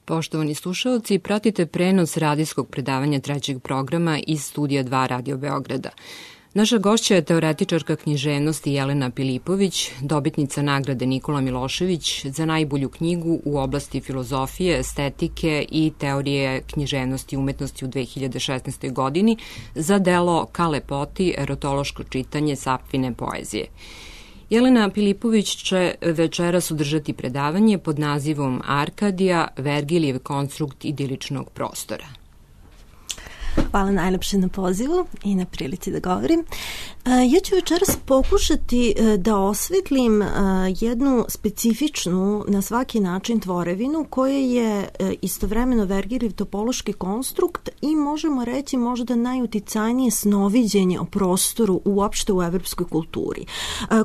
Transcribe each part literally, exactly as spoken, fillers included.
Poštovani slušaoci, pratite prenos radijskog predavanja trećeg programa iz Studija dva Radio Beograda. Naša gošća je teoretičarka književnosti Jelena Pilipović, dobitnica nagrade Nikola Milošević za najbolju knjigu u oblasti filozofije, estetike i teorije književnosti i umetnosti u dve hiljade šesnaestoj. godini za delo Ka lepoti, erotološko čitanje Sapfine poezije. Jelena Pilipović će večeras održati predavanje pod nazivom Arkadija, Vergilijev konstrukt idiličnog prostora. Hvala najlepše na pozivu i na prilici da govorim. Ja ću večeras pokušati da osvetlim jednu specifičnu, na svaki način, tvorevinu koja je istovremeno Vergilijev topološki konstrukt i možemo reći možda najuticajnije snoviđenje o prostoru uopšte u evropskoj kulturi,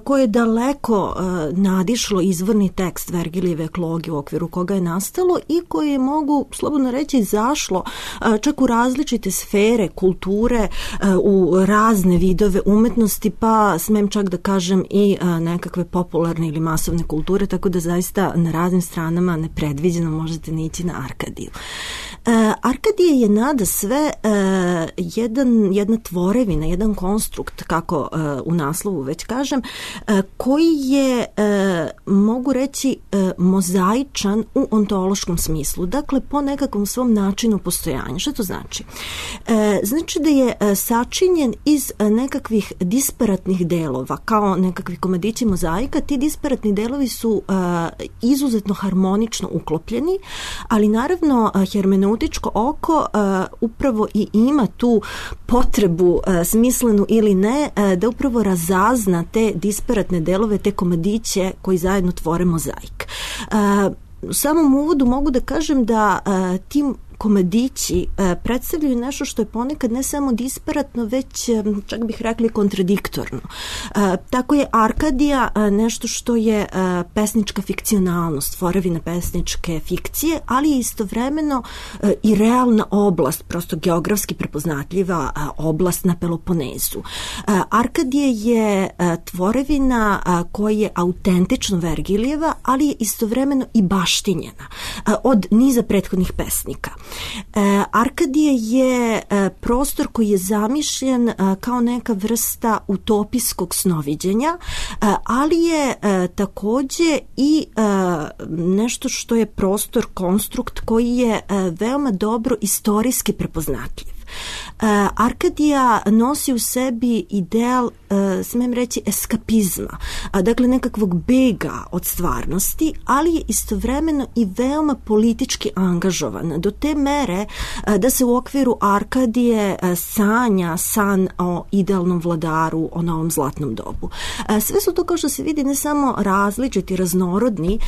koje je daleko nadišlo izvorni tekst Vergilijeve eklogije u okviru koga je nastalo i koje je, mogu slobodno reći, zašlo čak u različite sfere kulture, u razne vidove umetnosti, pa smem čak da kažem i nekakve popularne ili masovne kulture, tako da zaista na raznim stranama nepredviđeno možete nići na Arkadiju. Arkadija je nada sve jedan, jedna tvorevina, jedan konstrukt, kako u naslovu već kažem, koji je, mogu reći, mozaičan u ontološkom smislu, dakle po nekakvom svom načinu postojanja. Što to znači? Znači da je sačinjen iz nekakvih disparatnih delova, kao nekakvi komadići mozaika. Ti disparatni delovi su izuzetno harmonično uklopljeni, ali naravno hermeneutičko oko upravo i ima tu potrebu, smislenu ili ne, da upravo razazna te disparatne delove, te komadiće koji zajedno tvore mozaik. U samom uvodu mogu da kažem da tim komadići predstavljaju nešto što je ponekad ne samo disparatno, već čak bih rekli kontradiktorno. Tako je Arkadija nešto što je pesnička fikcionalnost, tvorevina pesničke fikcije, ali je istovremeno i realna oblast, prosto geografski prepoznatljiva oblast na Peloponezu. Arkadija je tvorevina koja je autentično Vergilijeva, ali je istovremeno i baštinjena od niza prethodnih pesnika. Arkadija je prostor koji je zamišljen kao neka vrsta utopijskog snoviđenja, ali je takođe i nešto što je prostor, konstrukt koji je veoma dobro istorijski prepoznatljiv. Arkadija nosi u sebi ideal, smem reći, eskapizma, dakle nekakvog bega od stvarnosti, ali je istovremeno i veoma politički angažovan do te mere da se u okviru Arkadije sanja san o idealnom vladaru, o novom zlatnom dobu. Sve su to, kao što se vidi, ne samo različiti, raznorodni,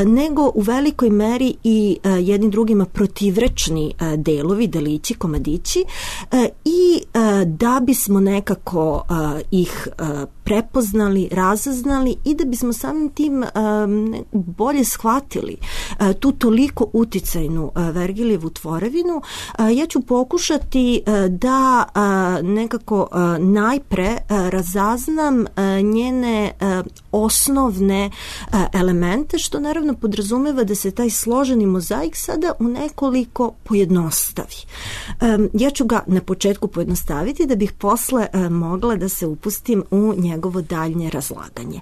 nego u velikoj meri i jedni drugima protivrečni delovi, delići, komadići, i da bismo nekako ih prepoznali, razaznali i da bismo samim tim bolje shvatili tu toliko uticajnu Vergilijevu tvorevinu, ja ću pokušati da nekako najpre razaznam njene osnovne elemente, što naravno podrazumeva da se taj složeni mozaik sada u nekoliko pojednostavi. Ja ću ga na početku pojednostaviti da bih posle mogla da se upustim u njegovo daljnje razlaganje.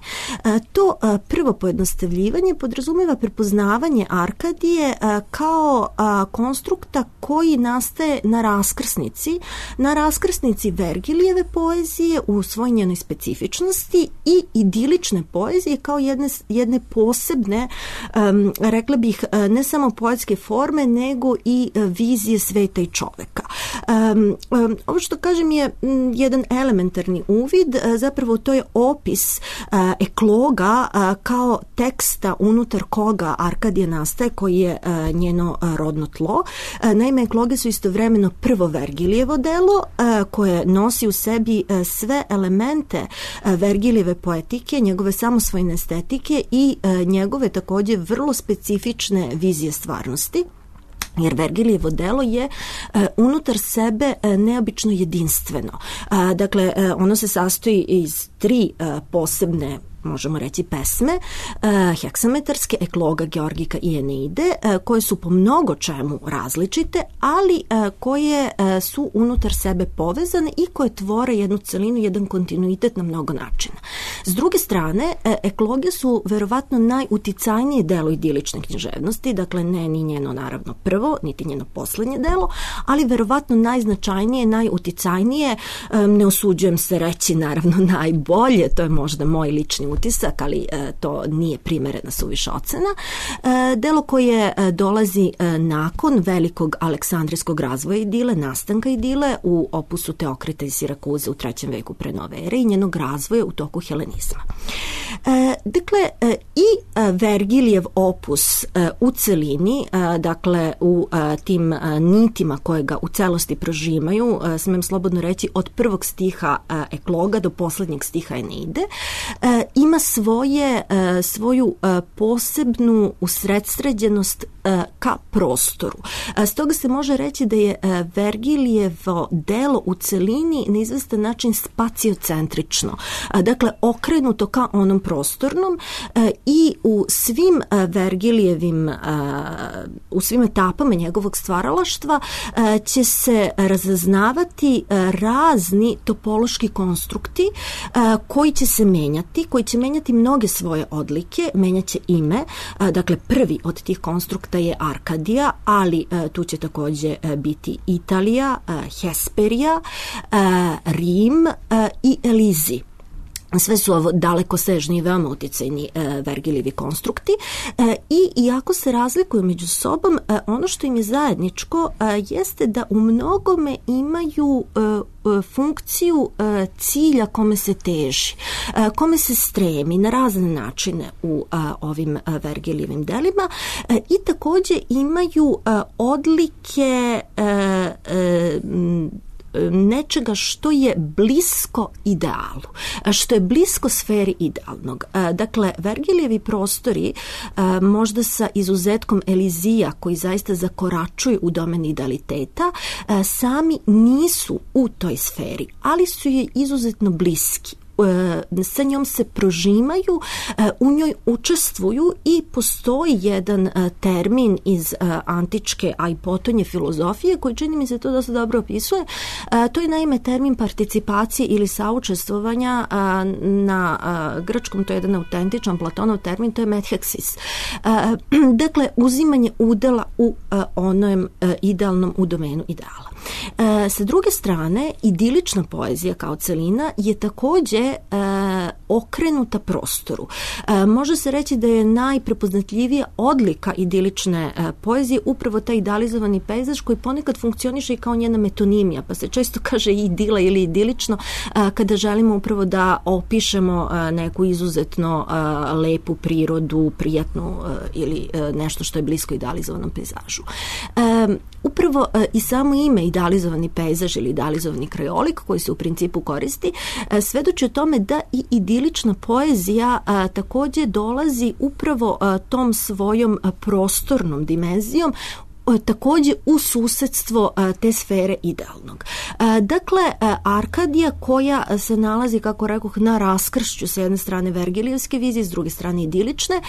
To prvo pojednostavljivanje podrazumeva prepoznavanje Arkadije kao konstrukta koji nastaje na raskrsnici, na raskrsnici Vergilijeve poezije u svoj njenoj specifičnosti i idilične poezije kao jedne, jedne posebne, rekla bih, ne samo poetske forme, nego i vizije sveta i čoveka. Ovo što kažem je jedan elementarni uvid, zapravo to je opis ekloga kao teksta unutar koga Arkadija nastaje, koji je njeno rodno tlo. Naime, ekloge su istovremeno prvo Vergilijevo delo koje nosi u sebi sve elemente Vergilijeve poetike, njegove samosvojne estetike i njegove takođe vrlo specifične vizije stvarnosti. Jer Vergilijevo delo je e, unutar sebe e, neobično jedinstveno. E, dakle, e, ono se sastoji iz tri e, posebne možemo reći pesme, heksametarske, ekloga, georgika i eneide, koje su po mnogo čemu različite, ali koje su unutar sebe povezane i koje tvore jednu celinu, jedan kontinuitet na mnogo načina. S druge strane, ekloge su verovatno najuticajnije delo idilične književnosti, dakle ne ni njeno naravno prvo, niti njeno poslednje delo, ali verovatno najznačajnije, najuticajnije, ne osuđujem se reći naravno najbolje, to je možda moj lični utisak, ali to nije primerena suviše ocena. Delo koje dolazi nakon velikog aleksandrijskog razvoja idile, nastanka idile u opusu Teokrita iz Sirakuze u trećem veku pre nove ere i njenog razvoja u toku helenizma. Dakle, i Vergilijev opus u celini, dakle u tim nitima koje ga u celosti prožimaju, smem slobodno reći od prvog stiha ekloga do poslednjeg stiha eneide, ima svoje, svoju posebnu usredsređenost ka prostoru. Stoga se može reći da je Vergilijevo delo u celini na izvestan način spaciocentrično, dakle okrenuto ka onom prostornom i u svim Vergilijevim, u svim etapama njegovog stvaralaštva će se razaznavati razni topološki konstrukti koji će se menjati, koji će menjati mnoge svoje odlike, menjaće ime, dakle prvi od tih konstrukta je Arkadija, ali tu će takođe biti Italija, Hesperija, Rim i Elizi. Sve su ovo dalekosežni i veoma uticajni e, Vergilijevi konstrukti e, i iako se razlikuju među sobom, e, ono što im je zajedničko e, jeste da u mnogome imaju e, funkciju e, cilja kome se teži, e, kome se stremi na razne načine u e, ovim e, Vergilijevim delima e, i takođe imaju e, odlike e, e, nečega što je blisko idealu, što je blisko sferi idealnog. Dakle, Vergilijevi prostori, možda sa izuzetkom Elizija, koji zaista zakoračuju u domen idealiteta, sami nisu u toj sferi, ali su je izuzetno bliski. Sa njom se prožimaju, u njoj učestvuju i postoji jedan termin iz antičke, a i potonje filozofije koji čini mi se to dosta dobro opisuje. To je naime termin participacije ili saučestvovanja, na grčkom to je jedan autentičan Platonov termin, to je metheksis. Dakle, uzimanje udela u onom idealnom, u domenu ideala. E, sa druge strane, idilična poezija kao celina je takođe e, okrenuta prostoru. E, može se reći da je najprepoznatljivija odlika idilične e, poezije upravo taj idealizovani pejzaž koji ponekad funkcioniše i kao njena metonimija, pa se često kaže idila ili idilično e, kada želimo upravo da opišemo e, neku izuzetno e, lepu prirodu, prijatnu e, ili e, nešto što je blisko idealizovanom pejzažu. E, upravo e, i samo ime idealizovani pejzaž ili idealizovani krajolik koji se u principu koristi, svedoči o tome da i idilična poezija a, takođe dolazi upravo a, tom svojom a, prostornom dimenzijom takođe u susedstvo te sfere idealnog. Dakle, Arkadija koja se nalazi, kako rekoh, na raskršću s jedne strane Vergilijevske vizije, s druge strane idilične,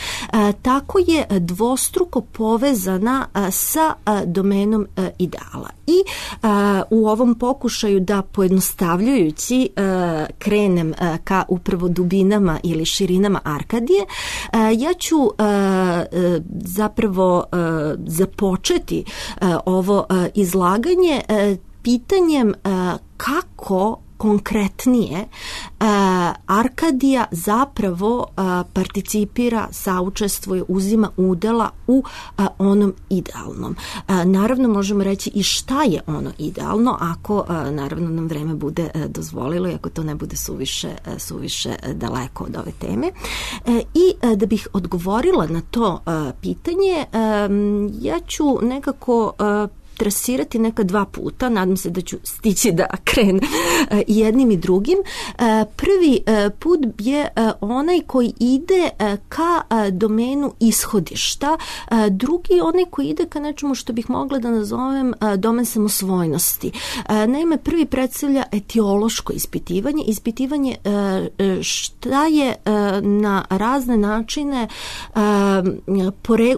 tako je dvostruko povezana sa domenom ideala. I u ovom pokušaju da pojednostavljujući krenem ka upravo dubinama ili širinama Arkadije, ja ću zapravo započeti ovo izlaganje pitanjem kako konkretnije Arkadija zapravo participira, saučestvuje, uzima udela u onom idealnom. Naravno možemo reći i šta je ono idealno ako naravno nam vreme bude dozvolilo i ako to ne bude suviše, suviše daleko od ove teme. I da bih odgovorila na to pitanje, ja ću nekako trasirati neka dva puta, nadam se da ću stići da krenem i jednim i drugim. Prvi put je onaj koji ide ka domenu ishodišta, drugi onaj koji ide ka nečemu što bih mogla da nazovem domen samosvojnosti. Naime, prvi predstavlja etiološko ispitivanje, ispitivanje šta je na razne načine,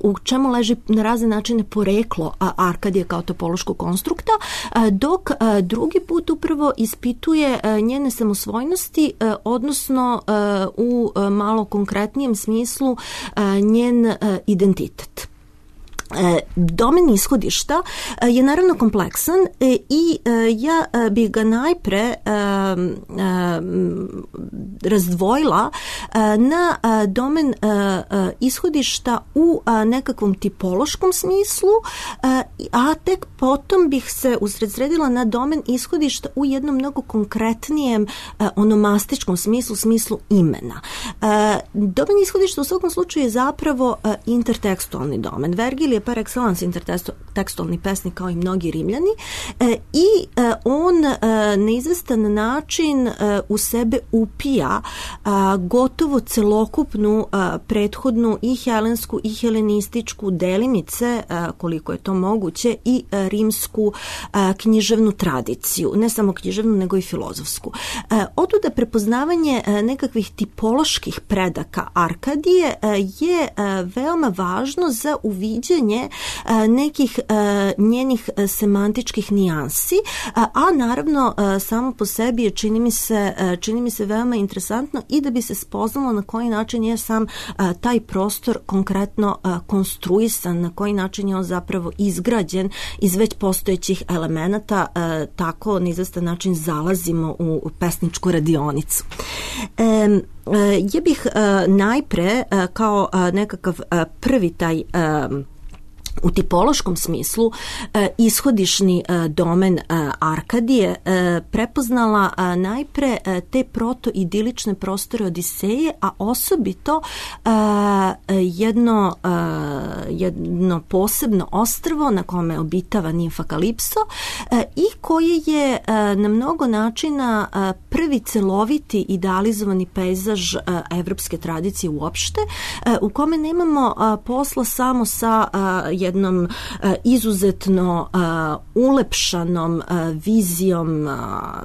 u čemu leži na razne načine poreklo Arkadije kao topološkog konstrukta, dok drugi put upravo ispituje njene samosvojnosti, odnosno u malo konkretnijem smislu njen identitet. Domen ishodišta je naravno kompleksan i ja bih ga najpre razdvojila na domen ishodišta u nekakvom tipološkom smislu, a tek potom bih se usredsredila na domen ishodišta u jednom mnogo konkretnijem onomastičkom smislu, smislu imena. Domen ishodišta u svakom slučaju je zapravo intertekstualni domen. Vergil je par excellence intertekstualni pesnik kao i mnogi Rimljani i on na izvestan način u sebe upija gotovo celokupnu prethodnu i helensku i helenističku delimice, koliko je to moguće, i rimsku književnu tradiciju, ne samo književnu nego i filozofsku. Otuda prepoznavanje nekakvih tipoloških predaka Arkadije je veoma važno za uviđanje nekih njenih semantičkih nijansi, a naravno samo po sebi je, čini mi se, čini mi se veoma interesantno i da bi se spoznalo na koji način je sam taj prostor konkretno konstruisan, na koji način je on zapravo izgrađen iz već postojećih elemenata, tako na izvestan način zalazimo u pesničku radionicu. Ja bih najpre kao nekakav prvi taj u tipološkom smislu ishodišni domen Arkadije prepoznala najpre te protoidilične prostore Odiseje, a osobito jedno, jedno posebno ostrvo na kome obitava nimfa Kalipso i koje je na mnogo načina prvi celoviti idealizovani pejzaž evropske tradicije uopšte, u kome nemamo posla samo sa jednom uh, izuzetno uh, ulepšanom uh, vizijom uh,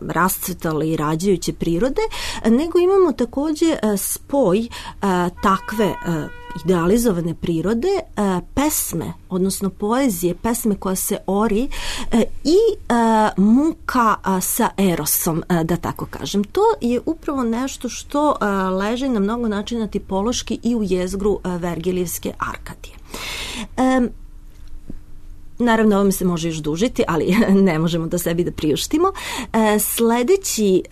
rascvetale i rađajuće prirode, nego imamo takođe uh, spoj uh, takve uh, idealizovane prirode, pesme, odnosno poezije, pesme koja se ori i muka sa erosom, da tako kažem. To je upravo nešto što leži na mnogo načina tipološki i u jezgru Vergilijevske Arkadije. Naravno, ovo mi se može još dužiti, ali ne možemo da sebi da priuštimo. Sledeći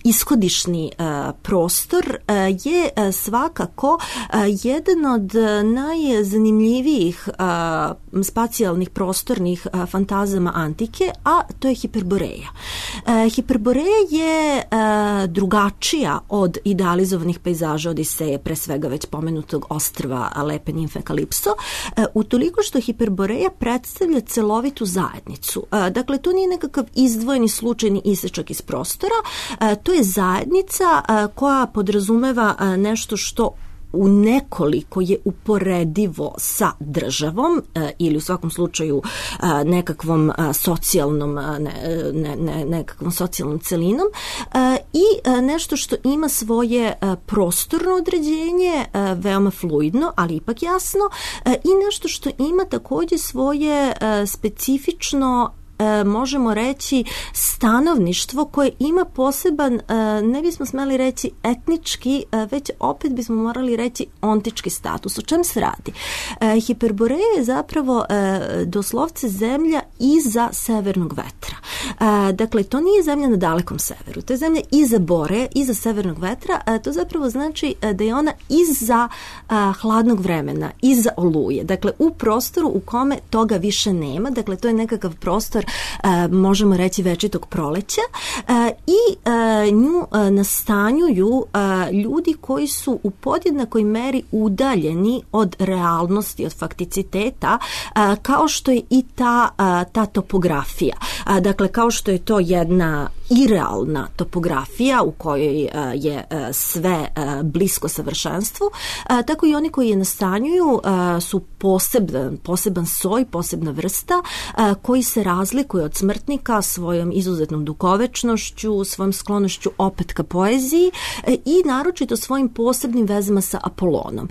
ishodišni uh, prostor uh, je uh, svakako uh, jedan od najzanimljivijih uh, spacijalnih prostornih uh, fantazama antike, a to je Hiperboreja. Uh, Hiperboreja je uh, drugačija od idealizovanih pejzaža Odiseje, pre svega već pomenutog ostrva lepe nimfe Kalipso, uh, utoliko što Hiperboreja predstavlja celovitu zajednicu. Uh, dakle, to nije nekakav izdvojeni slučajni isečak iz prostora, to je zajednica koja podrazumeva nešto što u nekoliko je uporedivo sa državom ili u svakom slučaju nekakvom socijalnom ne, ne, ne, nekakvom socijalnom celinom i nešto što ima svoje prostorno određenje, veoma fluidno, ali ipak jasno, i nešto što ima takođe svoje specifično, možemo reći, stanovništvo koje ima poseban, ne bismo smeli reći etnički, već opet bismo morali reći ontički status. O čem se radi? Hiperboreja je zapravo doslovce zemlja iza severnog vetra. Dakle, to nije zemlja na dalekom severu, to je zemlja iza bore, iza severnog vetra, to zapravo znači da je ona iza hladnog vremena, iza oluje, dakle u prostoru u kome toga više nema, dakle to je nekakav prostor, možemo reći, večitog proleća i nju nastanjuju ljudi koji su u podjednakoj meri udaljeni od realnosti, od fakticiteta, kao što je i ta, ta topografija. Dakle, kao što je to jedna irealna topografija u kojoj je sve blisko savršenstvu, tako i oni koji je nastanjuju su poseban, poseban soj, posebna vrsta koji se razlikuje od smrtnika svojom izuzetnom dugovečnošću, svojom sklonošću opet ka poeziji i naročito svojim posebnim vezama sa Apolonom.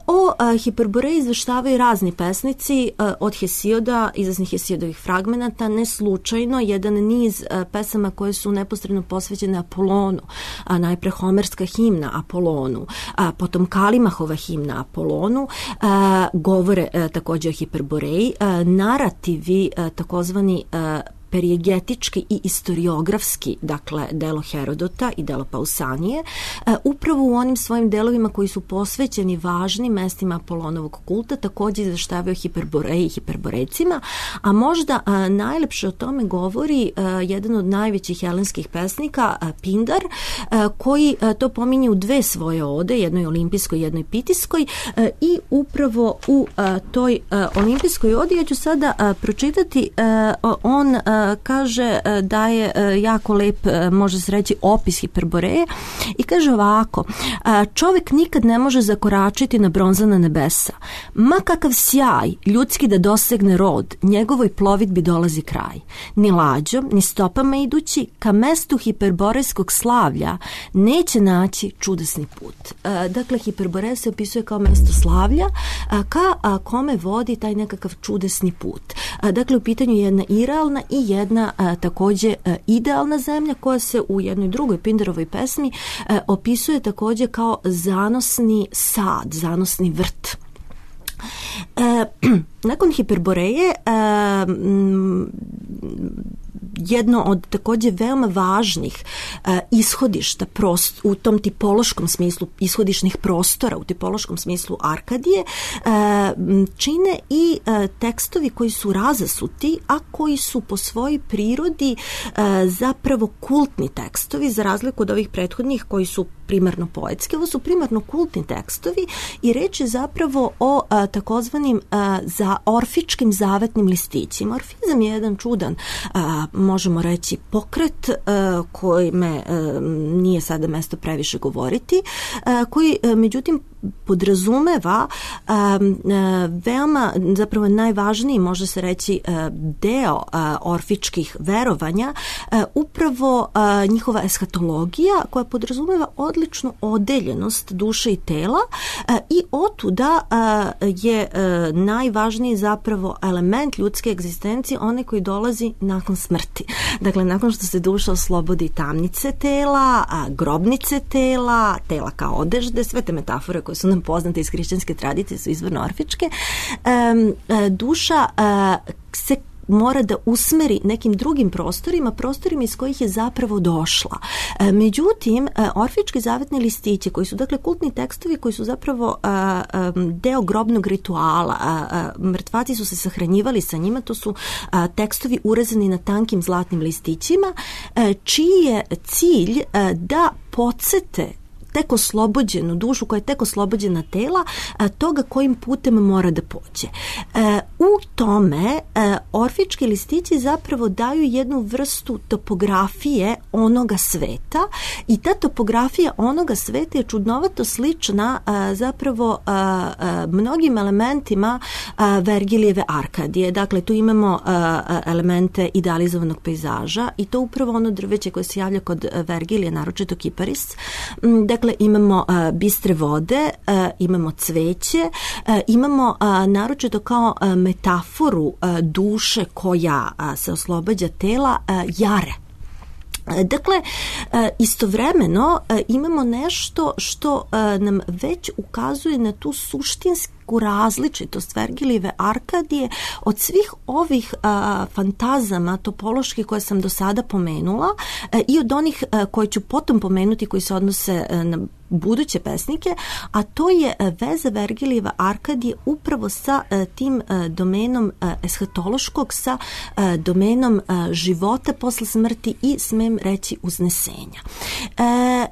O Hiperboreji izveštavaju razni pesnici, od Hesioda, izvesnih Hesiodovih fragmenata, ne slučajno jedan niz pesama koje su neposredno posvećene Apolonu, a najpre Homerska himna Apolonu, a potom Kalimahova himna Apolonu, a, govore a, također o Hiperboreji, a, narativi a, takozvani a, perijegetički i istoriografski, dakle delo Herodota i delo Pausanije, upravo u onim svojim delovima koji su posvećeni važnim mestima Apolonovog kulta, također izveštavaju Hiperboreji i Hiperborecima, a možda najlepše o tome govori jedan od najvećih helenskih pesnika, Pindar, koji to pominje u dve svoje ode, jednoj olimpijskoj, jednoj pitijskoj, i upravo u toj olimpijskoj odi ja ću sada pročitati, on kaže da je jako lep, može se reći, opis Hiperboreje i kaže ovako: čovjek nikad ne može zakoračiti na bronzana nebesa. Ma kakav sjaj ljudski da dosegne rod, njegovoj plovidbi dolazi kraj. Ni lađom, ni stopama idući ka mestu hiperborejskog slavlja neće naći čudesni put. Dakle, Hiperboreja se opisuje kao mesto slavlja ka kome vodi taj nekakav čudesni put. Dakle, u pitanju je jedna irealna i jedna a, također a, idealna zemlja koja se u jednoj drugoj Pindarovoj pesmi a, opisuje također kao zanosni sad, zanosni vrt. E, nakon Hiperboreje e, m, jedno od također veoma važnih e, ishodišta prost, u tom tipološkom smislu ishodišnih prostora, u tipološkom smislu Arkadije, e, čine i e, tekstovi koji su razasuti, a koji su po svojoj prirodi e, zapravo kultni tekstovi, za razliku od ovih prethodnih koji su primarno poetski. Ovo su primarno kultni tekstovi i reč je zapravo o a, takozvanim a, za orfičkim zavetnim listićima. Orfizam je jedan čudan, a, možemo reći, pokret a, koji me a, nije sada mesto previše govoriti, a, koji a, međutim podrazumeva a, a, veoma, zapravo najvažniji, može se reći, a, deo a, orfičkih verovanja, a, upravo a, njihova eshatologija, koja podrazumeva odličnu odeljenost duše i tela, a, i otuda a, je a, najvažniji zapravo element ljudske egzistencije, onaj koji dolazi nakon smrti. Dakle, nakon što se duša oslobodi tamnice tela, a, grobnice tela, tela kao odežde, sve te metafore koje su nam poznate iz hrišćanske tradicije su izvorno orfičke, um, duša uh, se mora da usmeri nekim drugim prostorima, prostorima iz kojih je zapravo došla. E, međutim, e, orfički zavetni listići, koji su dakle kultni tekstovi, koji su zapravo e, e, deo grobnog rituala, e, e, mrtvaci su se sahranjivali sa njima, to su e, tekstovi urezani na tankim zlatnim listićima, e, čiji je cilj e, da podsete tek oslobođenu dušu, koja je tek oslobođena tela, a, toga kojim putem mora da pođe. E, u tome e, orfički listići zapravo daju jednu vrstu topografije onoga sveta i ta topografija onoga sveta je čudnovato slična a, zapravo a, a, mnogim elementima a, Vergilijeve Arkadije. Dakle, tu imamo a, a, elemente idealizovanog pejzaža i to upravo ono drveće koje se javlja kod Vergilije, naročito kiparis. Dakle, imamo uh, bistre vode, uh, imamo cveće, uh, imamo uh, naročito kao uh, metaforu uh, duše koja uh, se oslobađa tela, uh, jare. Dakle, istovremeno imamo nešto što nam već ukazuje na tu suštinsku nekakvu različitost Vergilijeve Arkadije od svih ovih a, fantazama topološki koje sam do sada pomenula a, i od onih a, koje ću potom pomenuti koji se odnose a, na buduće pesnike, a to je veza Vergilijeva Arkadije upravo sa a, tim a, domenom a, eshatološkog, sa a, domenom a, života posle smrti i, smem reći, uznesenja. E,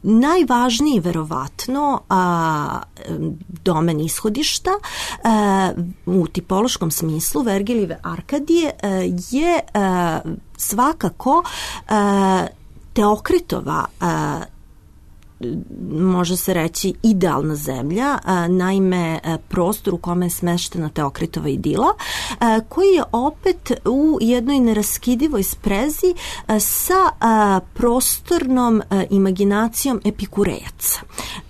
Najvažniji verovatno a, domen ishodišta a, u tipološkom smislu Vergilijeve Arkadije a, je a, svakako a, Teokritova a, može se reći idealna zemlja, a, naime prostor u kome je smeštena Teokritova idila, a, koji je opet u jednoj neraskidivoj sprezi a, sa a, prostornom a, imaginacijom Epikurejaca.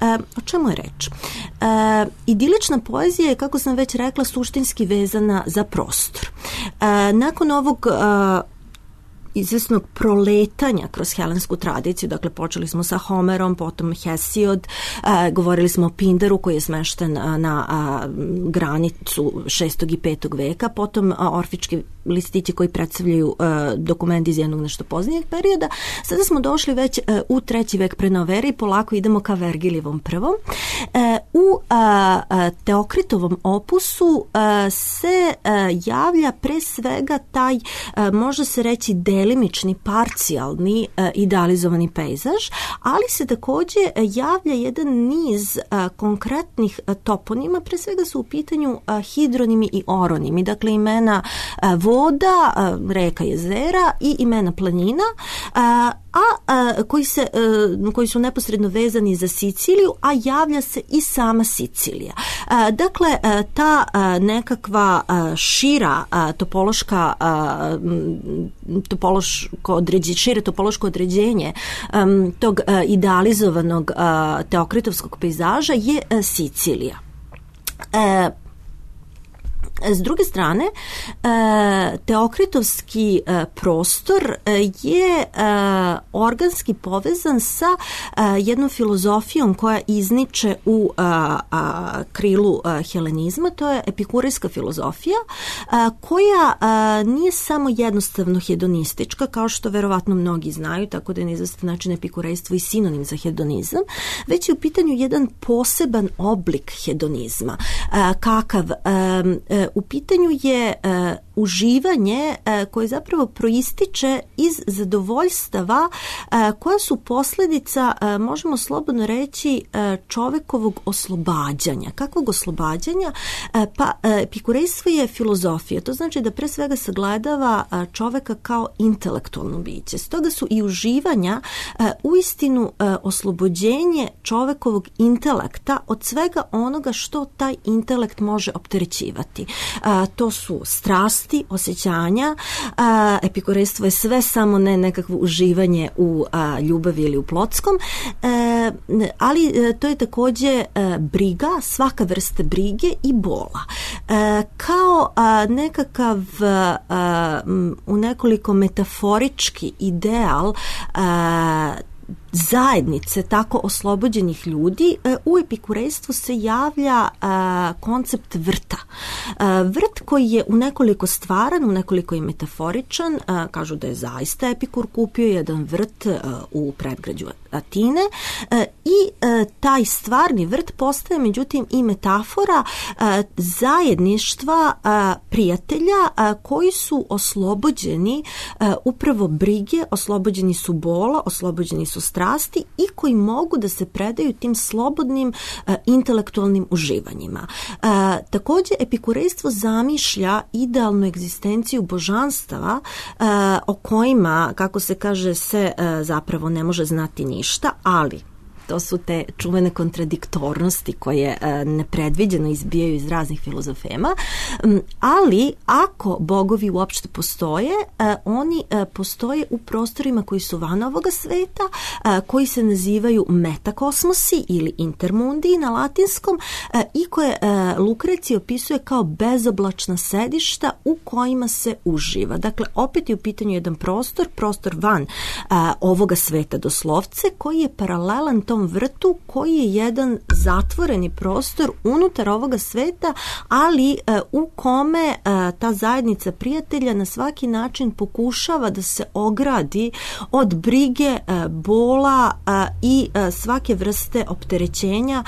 A, o čemu je reč? A, idilična poezija je, kako sam već rekla, suštinski vezana za prostor. A, nakon ovog a, izvesnog proletanja kroz helensku tradiciju, dakle počeli smo sa Homerom, potom Hesiod, a, govorili smo o Pindaru koji je smešten a, na a, granicu šestog i petog veka, potom a, orfički listići koji predstavljaju a, dokumenti iz jednog nešto poznijeg perioda. Sada smo došli već a, u treći vek pre nove ere i polako idemo ka Vergilijevom prvom. E, u a, a, Teokritovom opusu a, se a, javlja pre svega taj, a, može se reći, delimični, parcijalni, uh, idealizovani pejzaž, ali se takođe javlja jedan niz uh, konkretnih uh, toponima, pre svega su u pitanju uh, hidronimi i oronimi, dakle imena uh, voda, uh, reka, jezera i imena planina, uh, a, a koji, se, a, koji su neposredno vezani za Siciliju, a javlja se i sama Sicilija. A, dakle, a, ta a, nekakva a, šira a, topološka a, topološko određenje, šire topološko određenje a, tog a, idealizovanog a, teokritovskog pejzaža je a, Sicilija. A, S druge strane, teokritovski prostor je organski povezan sa jednom filozofijom koja izniče u krilu helenizma, to je epikurejska filozofija, koja nije samo jednostavno hedonistička, kao što verovatno mnogi znaju, tako da je na izvestan način epikurejstvo i sinonim za hedonizam, već je u pitanju jedan poseban oblik hedonizma. Kakav? U pitanju je uh, uživanje uh, koje zapravo proističe iz zadovoljstava uh, koja su posljedica, uh, možemo slobodno reći, uh, čovekovog oslobađanja. Kakvog oslobađanja? Uh, pa uh, epikurejstvo je filozofija. To znači da pre svega sagledava uh, čoveka kao intelektualno biće. Stoga su i uživanja uh, uistinu uh, oslobođenje čovekovog intelekta od svega onoga što taj intelekt može opterećivati. A, to su strasti, osjećanja. A, epikurejstvo je sve samo ne nekakvo uživanje u a, ljubavi ili u plotskom, e, ali e, to je takođe e, briga, svaka vrsta brige i bola. E, kao a, nekakav a, m, u nekoliko metaforički ideal a, zajednice tako oslobođenih ljudi, u epikurejstvu se javlja a, koncept vrta. A, vrt koji je u nekoliko stvaran, u nekoliko je metaforičan, a, kažu da je zaista Epikur kupio jedan vrt a, u predgrađu Atine a, i a, taj stvarni vrt postaje međutim i metafora a, zajedništva a, prijatelja a, koji su oslobođeni a, upravo brige, oslobođeni su bola, oslobođeni su strasti i koji mogu da se predaju tim slobodnim uh, intelektualnim uživanjima. Uh, takođe, epikurejstvo zamišlja idealnu egzistenciju božanstava uh, o kojima, kako se kaže, se uh, zapravo ne može znati ništa, ali to su te čuvene kontradiktornosti koje e, nepredviđeno izbijaju iz raznih filozofema, ali ako bogovi uopšte postoje, e, oni e, postoje u prostorima koji su van ovoga sveta, e, koji se nazivaju metakosmosi ili intermundi na latinskom e, i koje e, Lukrecij opisuje kao bezoblačna sedišta u kojima se uživa. Dakle, opet je u pitanju jedan prostor, prostor van e, ovoga sveta doslovce, koji je paralelan tom tom vrtu koji je jedan zatvoreni prostor unutar ovoga sveta, ali u kome ta zajednica prijatelja na svaki način pokušava da se ogradi od brige, bola i svake vrste opterećenja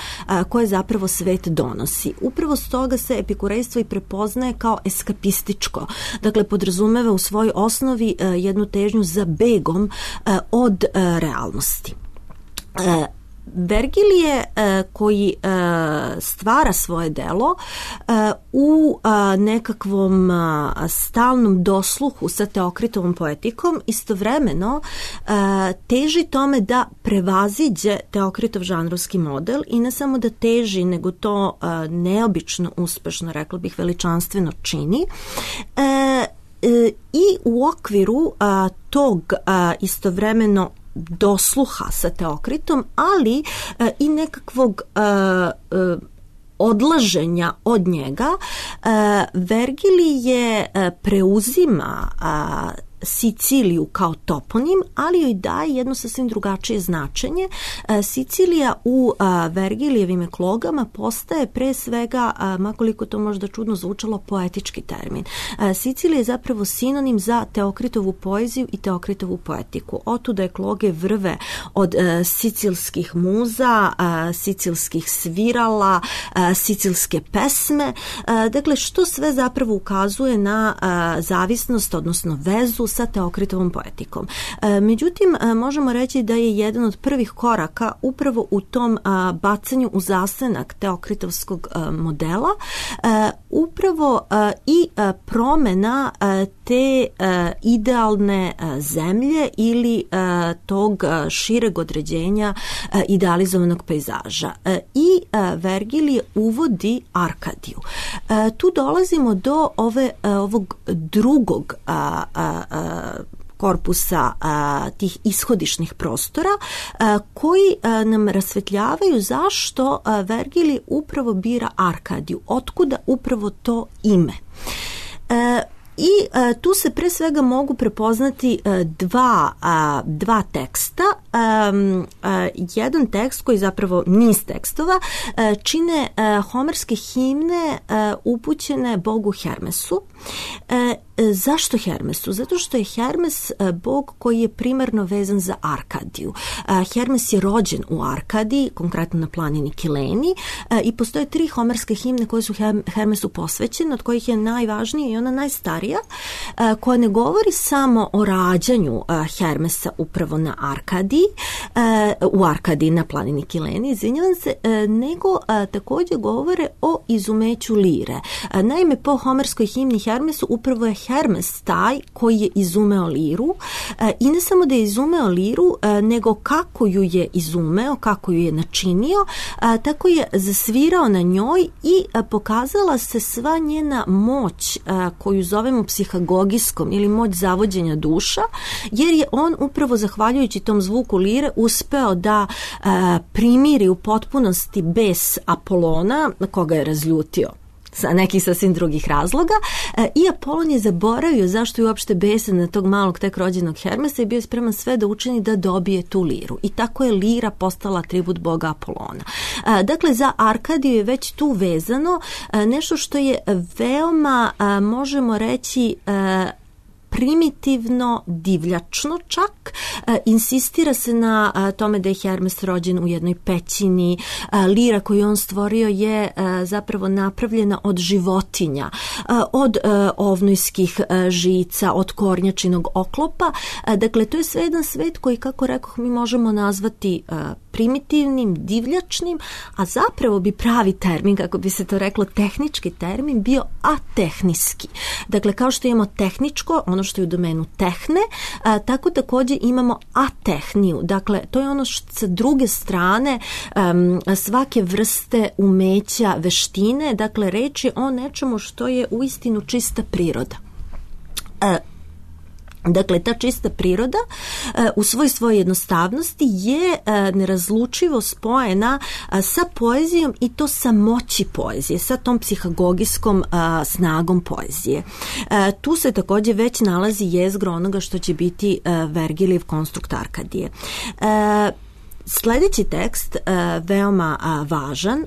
koje zapravo svet donosi. Upravo stoga se epikurejstvo i prepoznaje kao eskapističko. Dakle, podrazumeva u svojoj osnovi jednu težnju za begom od realnosti. Vergilije koji stvara svoje delo u nekakvom stalnom dosluhu sa Teokritovom poetikom istovremeno teži tome da prevaziđe Teokritov žanrovski model i ne samo da teži, nego to neobično uspešno, rekla bih, veličanstveno čini. I u okviru tog istovremeno dosluha sa Teokritom, ali e, i nekakvog e, e, odlaženja od njega, e, Vergilije e, preuzima e, Siciliju kao toponim, ali joj daje jedno sasvim drugačije značenje. Sicilija u Vergilijevim eklogama postaje pre svega, makoliko to možda čudno zvučalo, poetički termin. Sicilija je zapravo sinonim za Teokritovu poeziju i Teokritovu poetiku. Otuda ekloge vrve od sicilskih muza, sicilskih svirala, sicilske pesme. Dakle, što sve zapravo ukazuje na zavisnost, odnosno vezu sa Teokritovom poetikom. E, međutim, možemo reći da je jedan od prvih koraka upravo u tom a, bacanju u zasenak Teokritovskog a, modela a, upravo a, i a, promena a, te a, idealne a, zemlje ili a, tog a, šireg određenja a, idealizovanog pejzaža. A, I a, Vergilije uvodi Arkadiju. A, tu dolazimo do ove, a, ovog drugog a, a, a, korpusa a, tih ishodišnih prostora a, koji a, nam rasvetljavaju zašto a, Vergilij upravo bira Arkadiju, otkuda upravo to ime. E, I a, tu se pre svega mogu prepoznati a, dva, a, dva teksta. A, a, jedan tekst koji zapravo niz tekstova a, čine a, homerske himne a, upućene bogu Hermesu. A, Zašto Hermesu? Zato što je Hermes bog koji je primarno vezan za Arkadiju. Hermes je rođen u Arkadiji, konkretno na planini Kileni, i postoje tri homerske himne koje su Hermesu posvećene, od kojih je najvažnija i ona najstarija, koja ne govori samo o rađanju Hermesa upravo na Arkadiji, u Arkadiji na planini Kileni, izvinjavam se, nego također govore o izumeću lire. Naime, po homerskoj himni Hermesu upravo je Hermes taj koji je izumeo liru e, i ne samo da je izumeo liru, e, nego kako ju je izumeo, kako ju je načinio, e, tako je zasvirao na njoj i e, pokazala se sva njena moć e, koju zovemo psihagogijskom ili moć zavođenja duša, jer je on upravo zahvaljujući tom zvuku lire uspeo da e, primiri u potpunosti bes Apolona, na koga je razljutio sa nekih sasvim drugih razloga, i Apolon je zaboravio zašto je uopšte besan na tog malog tek rođenog Hermesa i bio je spreman sve da učini da dobije tu liru. I tako je lira postala atribut boga Apolona. Dakle, za Arkadiju je već tu vezano nešto što je veoma, možemo reći, primitivno, divljačno čak. E, insistira se na a, tome da je Hermes rođen u jednoj pećini. A, lira koju on stvorio je a, zapravo napravljena od životinja, a, od a, ovnojskih a, žica, od kornjačinog oklopa. A, dakle, to je sve jedan svet koji, kako rekoh, mi možemo nazvati a, primitivnim, divljačnim, a zapravo bi pravi termin, kako bi se to reklo, tehnički termin, bio atehniski. Dakle, kao što imamo tehničko, ono što je u domenu tehne, a, tako također imamo atehniju. Dakle, to je ono što sa druge strane um, svake vrste umeća, veštine, dakle, reč je o nečemu što je uistinu čista priroda. A, Dakle, ta čista priroda u svoj svojoj jednostavnosti je nerazlučivo spojena sa poezijom i to sa moći poezije, sa tom psihagogijskom snagom poezije. Tu se također već nalazi jezgro onoga što će biti Vergilijev konstrukt Arkadije. Sledeći tekst veoma važan,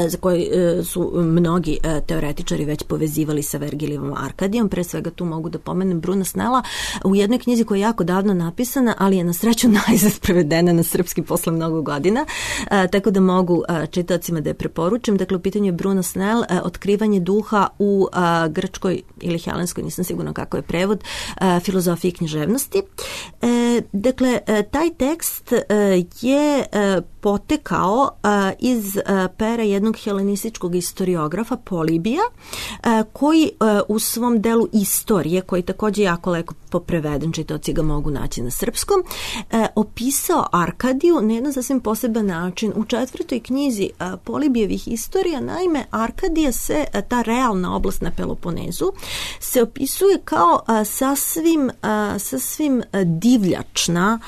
za koji su mnogi teoretičari već povezivali sa Vergilijevom Arkadijom. Pre svega tu mogu da pomenem Bruna Snella u jednoj knjizi koja je jako davno napisana, ali je na sreću najzad prevedena na srpski posle mnogo godina, tako da mogu čitaocima da je preporučim. Dakle, u pitanju je Bruno Snell, Otkrivanje duha u grčkoj ili helenskoj, nisam sigurna kako je prevod, filozofiji i književnosti. Dakle, taj tekst je potekao iz pera jednog helenističkog historiografa Polibija, koji u svom delu istorije, koji takođe jako lepo preveden, čitaoci ga mogu naći na srpskom, opisao Arkadiju na jedan sasvim poseban način. U četvrtoj knjizi Polibijevih istorija, naime, Arkadija se, ta realna oblast na Peloponezu, se opisuje kao sasvim, sasvim divljačna,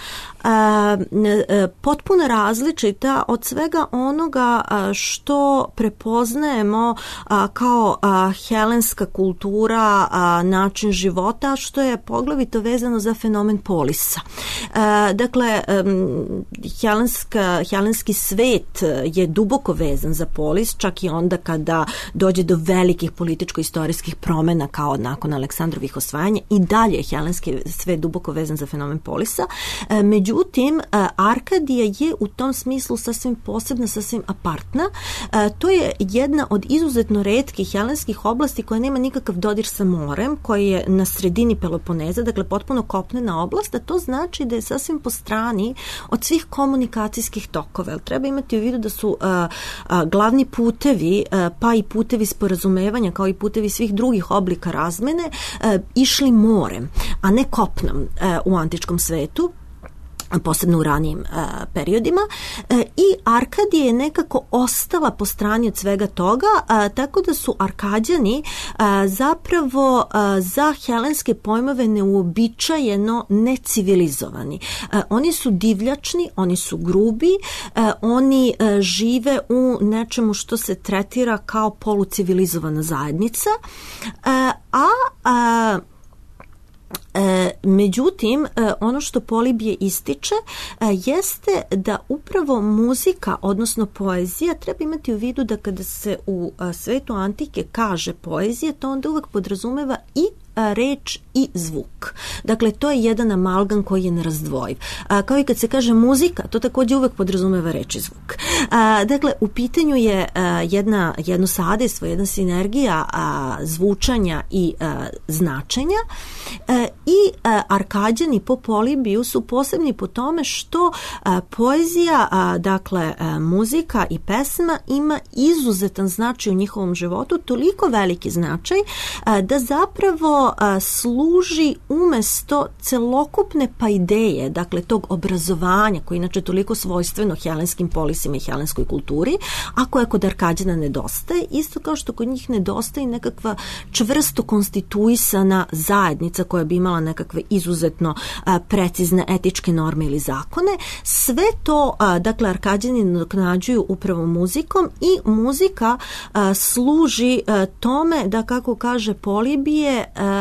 potpuno različita od svega onoga što prepoznajemo kao helenska kultura, način života, što je poglavito vezano za fenomen polisa. Dakle, helenska, helenski svet je duboko vezan za polis, čak i onda kada dođe do velikih političko-istorijskih promena kao nakon Aleksandrovih osvajanja, i dalje je helenski svet duboko vezan za fenomen polisa. Međutim, Međutim, Arkadija je u tom smislu sasvim posebna, sasvim apartna. To je jedna od izuzetno retkih helenskih oblasti koja nema nikakav dodir sa morem, koja je na sredini Peloponeza, dakle potpuno kopnena oblast, a to znači da je sasvim po strani od svih komunikacijskih tokova. Treba imati u vidu da su a, a, glavni putevi, a, pa i putevi sporazumevanja, kao i putevi svih drugih oblika razmene, a, išli morem, a ne kopnom a, u antičkom svetu, posebno u ranijim uh, periodima, uh, i Arkadija je nekako ostala po strani od svega toga, uh, tako da su Arkađani uh, zapravo uh, za helenske pojmove neuobičajeno necivilizovani. Uh, oni su divljačni, oni su grubi, uh, oni uh, žive u nečemu što se tretira kao polucivilizovana zajednica, uh, a uh, E, međutim, e, ono što Polibije ističe e, jeste da upravo muzika, odnosno poezija, treba imati u vidu da kada se u a, svetu antike kaže poezija, to onda uvek podrazumeva i reč i zvuk. Dakle, to je jedan amalgam koji je nerazdvojiv. A, kao i kad se kaže muzika, to takođe uvek podrazumeva reč i zvuk. A, dakle, u pitanju je a, jedna, jedno sadejstvo, jedna sinergija a, zvučanja i a, značenja, a, i a, Arkađani po Polibiju su posebni po tome što a, poezija, a, dakle, a, muzika i pesma ima izuzetan značaj u njihovom životu, toliko veliki značaj a, da zapravo a, služi umesto celokupne paideje, dakle tog obrazovanja koje je inače toliko svojstveno helenskim polisima i helenskoj kulturi, a koja kod Arkađana nedostaje, isto kao što kod njih nedostaje nekakva čvrsto konstituisana zajednica koja bi imala nekakve izuzetno a, precizne etičke norme ili zakone. Sve to, a, dakle, Arkađani nadoknađuju upravo muzikom i muzika a, služi a, tome da, kako kaže Polibije, a,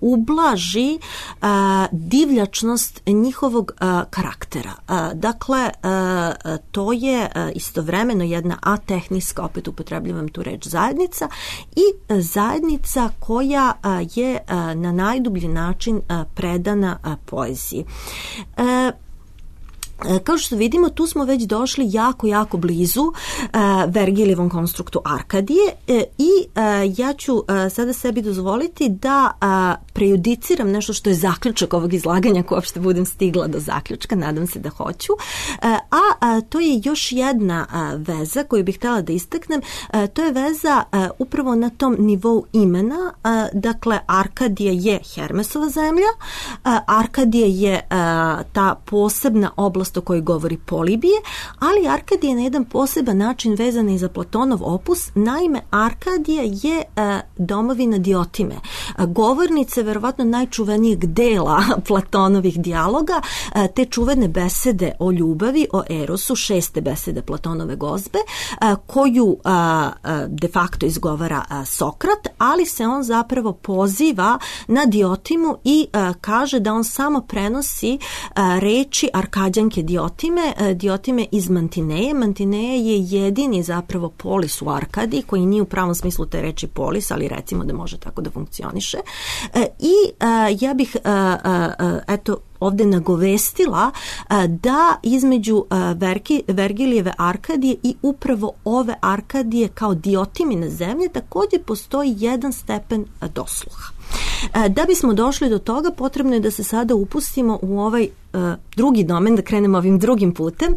ublaži a, divljačnost njihovog a, karaktera. A, dakle, a, to je a, istovremeno jedna atehniska, opet upotrebljavam tu reč, zajednica, i a, zajednica koja a, je a, na najdublji način a, predana a, poeziji. A, Kao što vidimo, tu smo već došli jako, jako blizu uh, Vergilijevom konstruktu Arkadije uh, i uh, ja ću uh, sada sebi dozvoliti da uh, prejudiciram nešto što je zaključak ovog izlaganja, ako uopšte budem stigla do zaključka, nadam se da hoću, uh, a uh, to je još jedna uh, veza koju bih htjela da istaknem, uh, to je veza uh, upravo na tom nivou imena, uh, dakle Arkadija je Hermesova zemlja, uh, Arkadija je uh, ta posebna oblast o kojoj govori Polibije, ali Arkadija je na jedan poseban način vezana i za Platonov opus. Naime, Arkadija je domovina Diotime, govornice verovatno najčuvenijeg dela Platonovih dijaloga, te čuvene besede o ljubavi, o erosu, šeste besede Platonove gozbe, koju de facto izgovara Sokrat, ali se on zapravo poziva na Diotimu i kaže da on samo prenosi reči Arkadjanke Diotime, Diotime iz Mantineje. Mantineja je jedini zapravo polis u Arkadiji, koji nije u pravom smislu te reči polis, ali recimo da može tako da funkcioniše. I ja bih eto ovde nagovestila da između Vergi, Vergilijeve Arkadije i upravo ove Arkadije kao Diotimine zemlje također postoji jedan stepen dosluha. Da bismo došli do toga, potrebno je da se sada upustimo u ovaj drugi domen, da krenemo ovim drugim putem.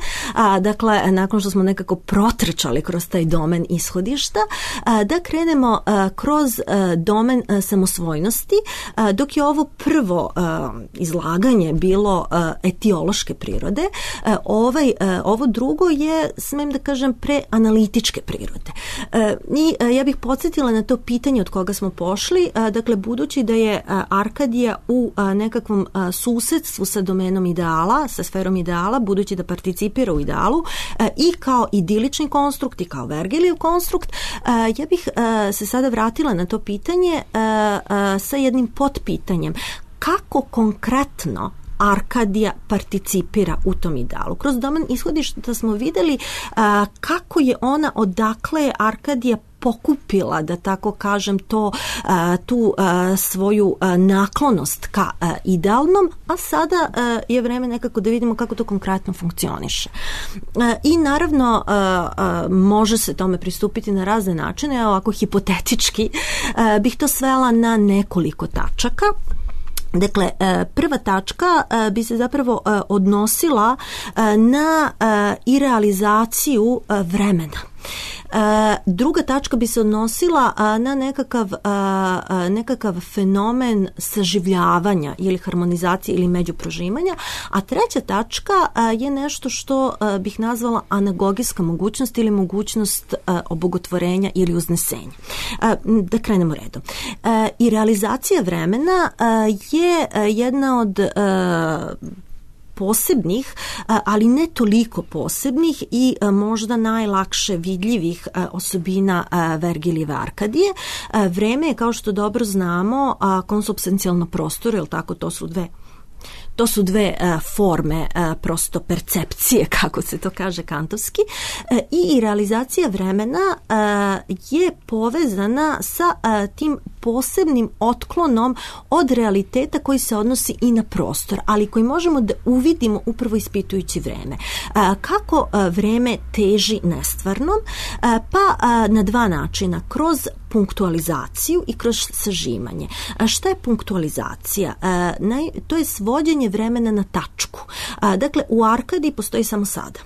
Dakle, nakon što smo nekako protrčali kroz taj domen ishodišta, da krenemo kroz domen samosvojnosti, dok je ovo prvo izlaganje bilo etiološke prirode, ovaj, ovo drugo je, smem da kažem, preanalitičke prirode. I ja bih podsjetila na to pitanje od koga smo pošli, dakle, budući da je Arkadija u nekakvom susedstvu sa domenom ideala, sa sferom ideala, budući da participira u idealu i kao idilični konstrukt i kao Vergilijev konstrukt, ja bih se sada vratila na to pitanje sa jednim potpitanjem. Kako konkretno Arkadija participira u tom idealu? Kroz domen ishodišta smo videli kako je ona, odakle je Arkadija pokupila, da tako kažem, to, tu svoju naklonost ka idealnom, a sada je vreme nekako da vidimo kako to konkretno funkcioniše. I naravno može se tome pristupiti na razne načine, ovako hipotetički bih to svela na nekoliko tačaka. Dakle, prva tačka bi se zapravo odnosila na irealizaciju vremena. Druga tačka bi se odnosila na nekakav, nekakav fenomen saživljavanja ili harmonizacije ili međuprožimanja, a treća tačka je nešto što bih nazvala anagogijska mogućnost ili mogućnost obogotvorenja ili uznesenja. Da krenemo redom. I realizacija vremena je jedna od posebnih, ali ne toliko posebnih i možda najlakše vidljivih osobina Vergilijeve Arkadije. Vreme je, kao što dobro znamo, konsubstancijalno prostor, jer tako, to su dve To su dve uh, forme uh, prosto percepcije, kako se to kaže kantovski, uh, i realizacija vremena uh, je povezana sa uh, tim posebnim otklonom od realiteta koji se odnosi i na prostor, ali koji možemo da uvidimo upravo ispitujući vreme. Uh, kako uh, vreme teži nestvarnom? Uh, pa uh, na dva načina, kroz punktualizaciju i kroz sažimanje. A šta je punktualizacija? A, naj, to je svođenje vremena na tačku. A, dakle, u Arkadiji postoji samo sada.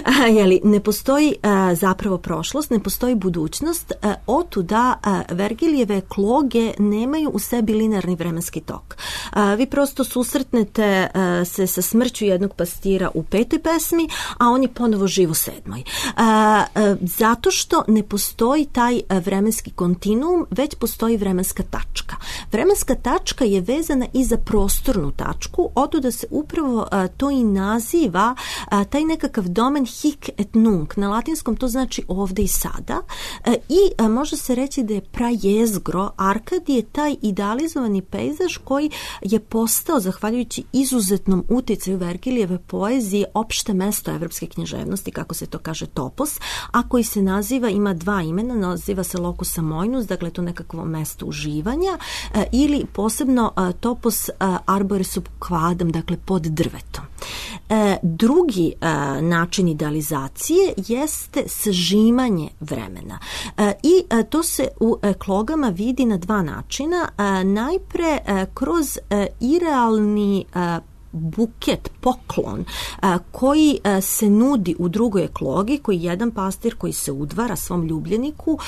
A, jeli, ne postoji a, zapravo prošlost, ne postoji budućnost, a, otuda a, Vergilijeve ekloge nemaju u sebi linearni vremenski tok. A, vi prosto susretnete a, se sa smrću jednog pastira u petoj pesmi, a on je ponovo živ u sedmoj. A, a, zato što ne postoji taj a, vremenski kontinuum, već postoji vremenska tačka. Vremenska tačka je vezana i za prostornu tačku, otuda se upravo a, to i naziva a, taj nekakav domen hic et nunc. Na latinskom to znači ovde i sada. A, I a, može se reći da je prajezgro Arkadije taj idealizovani pejzaž koji je postao, zahvaljujući izuzetnom uticaju Vergilijeve poezije, opšte mesto evropske književnosti, kako se to kaže topos, a koji se naziva, ima dva imena, naziva se locus amoenus, dakle to nekakvo mesto uživanja, a, ili posebno a, topos a, arbore sub quadam, dakle pod drvetom. E, drugi a, način idealizacije jeste sažimanje vremena. E, I a, to se u eklogama vidi na dva načina. A, najpre a, kroz a, irealni a, buket, poklon koji se nudi u drugoj eklogi, koji jedan pastir koji se udvara svom ljubljeniku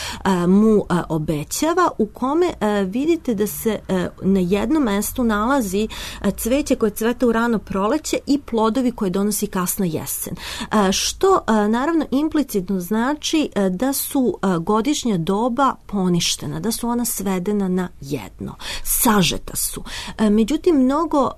mu obećava, u kome vidite da se na jednom mestu nalazi cveće koje cveta u rano proleće i plodovi koje donosi kasna jesen. Što naravno implicitno znači da su godišnja doba poništena, da su ona svedena na jedno. Sažeta su. Međutim, mnogo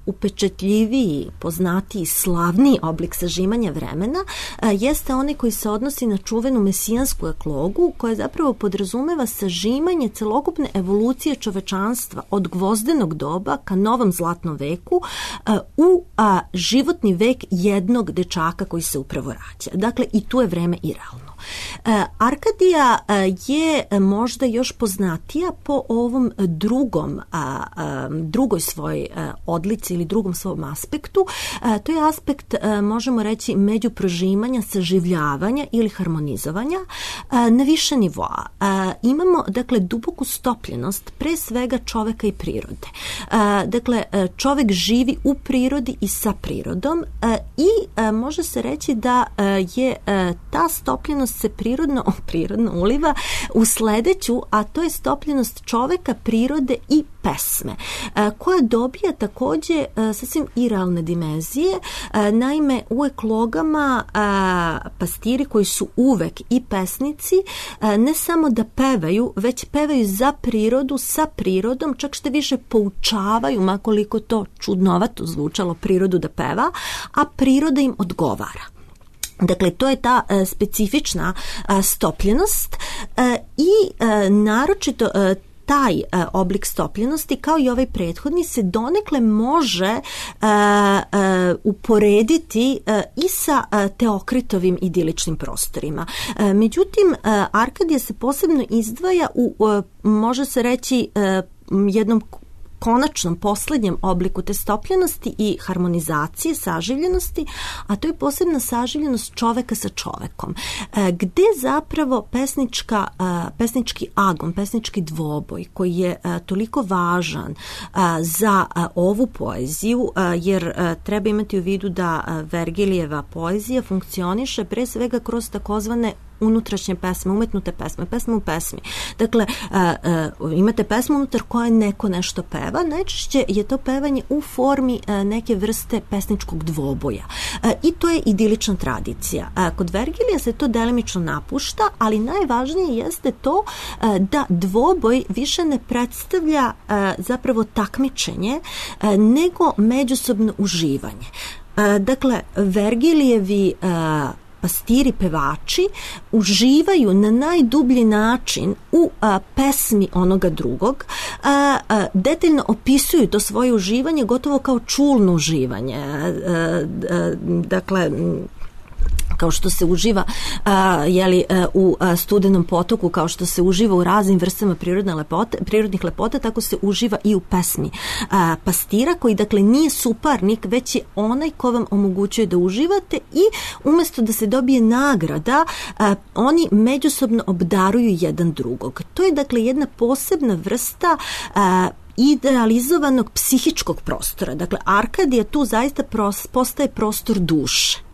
upečetljiviji, poznatiji, slavniji oblik sažimanja vremena jeste onaj koji se odnosi na čuvenu mesijansku eklogu, koja zapravo podrazumeva sažimanje celokupne evolucije čovečanstva od gvozdenog doba ka novom zlatnom veku u životni vek jednog dečaka koji se upravo rađa. Dakle, i tu je vreme irealno. Arkadija je možda još poznatija po ovom drugom, drugoj svojoj odlici ili drugom svom aspektu. To je aspekt, možemo reći, međuprožimanja, saživljavanja ili harmonizovanja na više nivoa. Imamo, dakle, duboku stopljenost pre svega čoveka i prirode. Dakle, čovek živi u prirodi i sa prirodom i može se reći da je ta stopljenost se prirodno, prirodno uliva u sledeću, a to je stopljenost čoveka, prirode i pesme, koja dobija takođe sasvim irealne dimenzije. Naime, u eklogama pastiri koji su uvek i pesnici ne samo da pevaju, već pevaju za prirodu, sa prirodom, čak što više poučavaju, makoliko to čudnovato zvučalo, prirodu da peva, a priroda im odgovara. Dakle, to je ta e, specifična e, stopljenost e, i e, naročito e, taj e, oblik stopljenosti, kao i ovaj prethodni, se donekle može e, e, uporediti e, i sa e, Teokritovim idiličnim prostorima. E, međutim, e, Arkadija se posebno izdvaja u, e, može se reći, e, jednom konačnom, poslednjem obliku te stopljenosti i harmonizacije, saživljenosti, a to je posebna saživljenost čoveka sa čovekom, gde zapravo pesnička, pesnički agon, pesnički dvoboj, koji je toliko važan za ovu poeziju, jer treba imati u vidu da Vergilijeva poezija funkcioniše pre svega kroz takozvane unutrašnje pesme, umetnute pesme, pesme u pesmi. Dakle, imate pesmu unutar koje neko nešto peva, najčešće je to pevanje u formi neke vrste pesničkog dvoboja. I to je idilična tradicija. Kod Vergilija se to delimično napušta, ali najvažnije jeste to da dvoboj više ne predstavlja zapravo takmičenje, nego međusobno uživanje. Dakle, Vergilijevi pastiri, pevači uživaju na najdublji način u a, pesmi onoga drugog, a, a, detaljno opisuju to svoje uživanje gotovo kao čulno uživanje. A, a, dakle, kao što se uživa a, jeli, a, u a, studenom potoku, kao što se uživa u raznim vrstama prirodne lepote, prirodnih lepota, tako se uživa i u pesmi a, pastira, koji dakle nije suparnik, već je onaj ko vam omogućuje da uživate i umesto da se dobije nagrada, a, oni međusobno obdaruju jedan drugog. To je dakle jedna posebna vrsta a, idealizovanog psihičkog prostora. Dakle, Arkadija tu zaista pros, postaje prostor duše.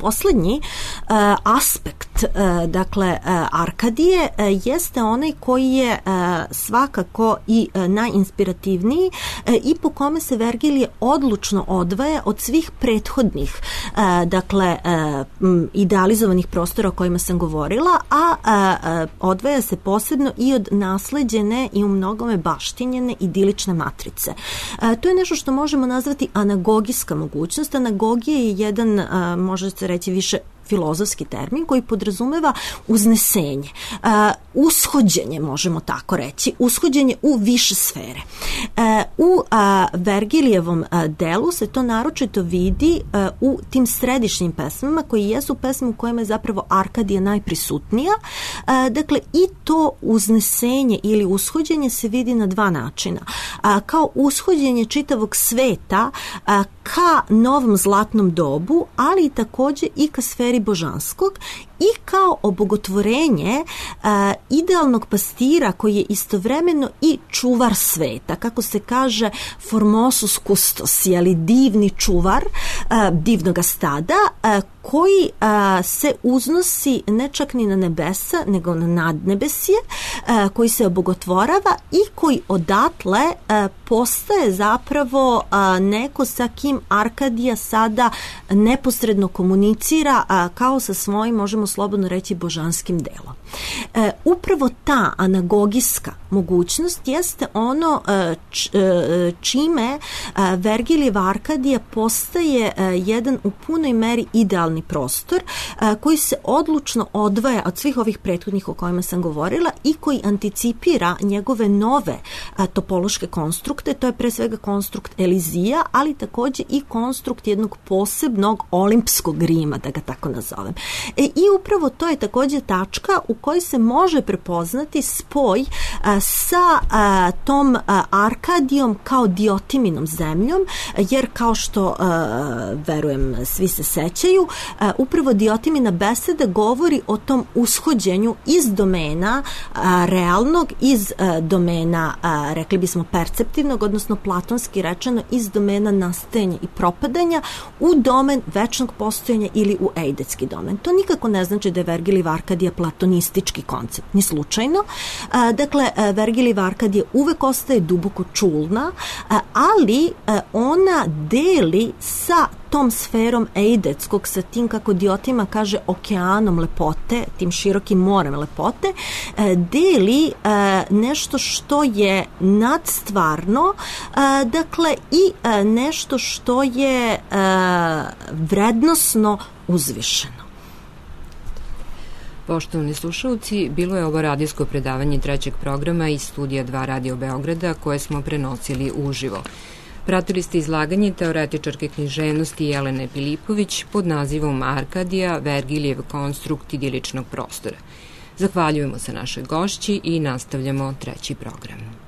Poslednji uh, aspekt uh, dakle uh, Arkadije uh, jeste onaj koji je uh, svakako i uh, najinspirativniji uh, i po kome se Vergilije odlučno odvaja od svih prethodnih uh, dakle uh, idealizovanih prostora o kojima sam govorila, a uh, uh, odvaja se posebno i od nasleđene i u mnogome baštinjene idilične matrice. Uh, to je nešto što možemo nazvati anagogijska mogućnost. Anagogija je jedan, uh, može se reći više filozofski termin koji podrazumeva uznesenje, uh, ushođenje, možemo tako reći, ushođenje u više sfere. Uh, u uh, Vergilijevom uh, delu se to naročito vidi uh, u tim središnjim pesmama koji jesu pesme u kojima je zapravo Arkadija najprisutnija. Uh, dakle, i to uznesenje ili ushođenje se vidi na dva načina. Uh, kao ushođenje čitavog sveta uh, ka novom zlatnom dobu, ali i takođe i ka sferi stvari božanskog i kao obogotvorenje a, idealnog pastira koji je istovremeno i čuvar sveta, kako se kaže formosus custos, jeli divni čuvar a, divnoga stada, a, koji a, se uznosi ne čak ni na nebesa, nego na nadnebesje, a, koji se obogotvorava i koji odatle a, postaje zapravo a, neko sa kim Arkadija sada neposredno komunicira a, kao sa svojim, možemo slobodno reći, božanskim delom. E, upravo ta anagogijska mogućnost jeste ono e, č, e, čime e, Vergilijeva Arkadija postaje e, jedan u punoj meri idealni prostor e, koji se odlučno odvaja od svih ovih prethodnih o kojima sam govorila i koji anticipira njegove nove a, topološke konstrukte. To je pre svega konstrukt Elizija, ali takođe i konstrukt jednog posebnog olimpskog Rima, da ga tako nazovem. E, I upravo to je takođe tačka u kojoj se može prepoznati spoj a, sa a, tom a, Arkadijom kao Diotiminom zemljom, jer kao što a, verujem svi se sećaju, a, upravo Diotimina beseda govori o tom ushođenju iz domena a, realnog, iz a, domena, a, rekli bismo, perceptivnog, odnosno platonski rečeno iz domena nastajanja i propadanja u domen večnog postojanja ili u eidetski domen. To nikako ne znači da je Vergilijeva Arkadija platonistički koncept, ni slučajno. A, dakle, Vergilijeva Arkadija uvek ostaje duboko čulna, a, ali a, ona deli sa tom sferom eidetskog, sa tim, kako Diotima kaže, okeanom lepote, tim širokim morem lepote, deli nešto što je nadstvarno, dakle i nešto što je vrednosno uzvišeno. Poštovani slušalci, bilo je ovo radijsko predavanje trećeg programa iz studija dva Radio Beograda koje smo prenosili uživo. Pratili ste izlaganje teoretičarke književnosti Jelene Pilipović pod nazivom Arkadija, Vergilijev konstrukt idiličnog prostora. Zahvaljujemo se našoj gošći i nastavljamo treći program.